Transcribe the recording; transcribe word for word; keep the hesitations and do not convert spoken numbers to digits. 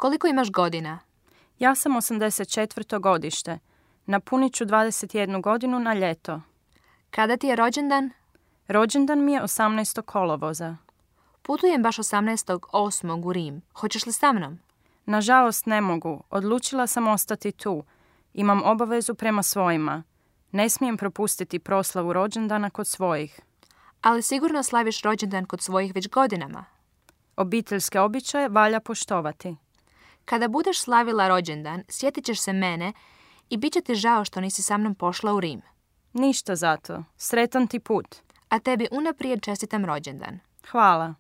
Koliko imaš godina? Ja sam osamdeset četvrto godište. Napunit ću dvadeset jednu godinu na ljeto. Kada ti je rođendan? Rođendan mi je osamnaestog kolovoza. Putujem baš osamnaestog osmog u Rim. Hoćeš li sa mnom? Nažalost ne mogu. Odlučila sam ostati tu. Imam obavezu prema svojima. Ne smijem propustiti proslavu rođendana kod svojih. Ali sigurno slaviš rođendan kod svojih već godinama. Obiteljske običaje valja poštovati. Kada budeš slavila rođendan, sjetit ćeš se mene i bit će ti žao što nisi sa mnom pošla u Rim. Ništa zato. Sretan ti put. A tebi unaprijed čestitam rođendan. Hvala.